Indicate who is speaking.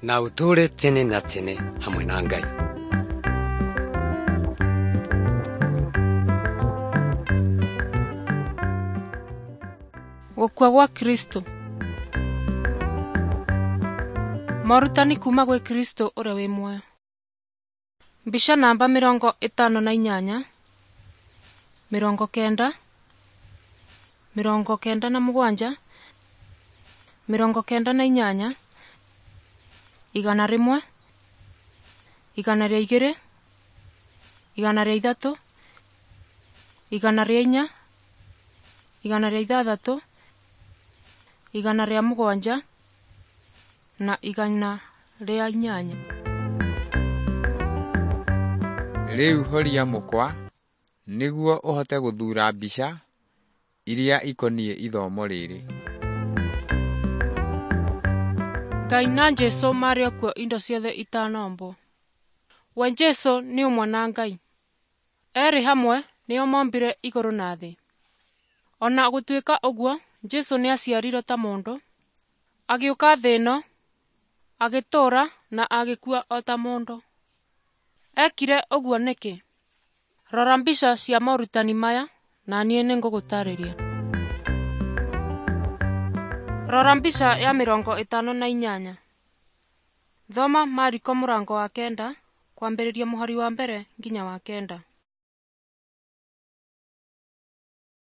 Speaker 1: Na ũtũũre tene na tene hamwe na Ngai.
Speaker 2: Gũkua gwa Kristo. Morutani kuma gwĩ Kristo ũrĩa wĩ muoyo. Mbica namba 58, 90, 97, 98, 100, 102, 103, 104, 106, 107 na 108.
Speaker 3: Rĩu horia mũkwa nĩguo ũhote gũthuura mbica iria ikoniĩ ithomo rĩrĩ.
Speaker 2: Ngai na Jesũ marĩ o kuo indo ciothe itanombwo. We Jesũ nĩ ũmwe na Ngai. Erĩ hamwe nĩo mombire igũrũ na thĩ. Ona gũtuĩka ũguo, Jesũ nĩaciarirwo ta mũndũ, agĩũka thĩ ĩno, agĩtũũra na agĩkua o ta mũndũ. Ekire ũguo nĩkĩ? Rora mbica cia morutani maya na niĩ nĩngũgũtarĩria. Rora mbica ya 58. Thoma Mariko mũrango wa 9 kwambĩrĩria mũhari wa 1 nginya wa 9.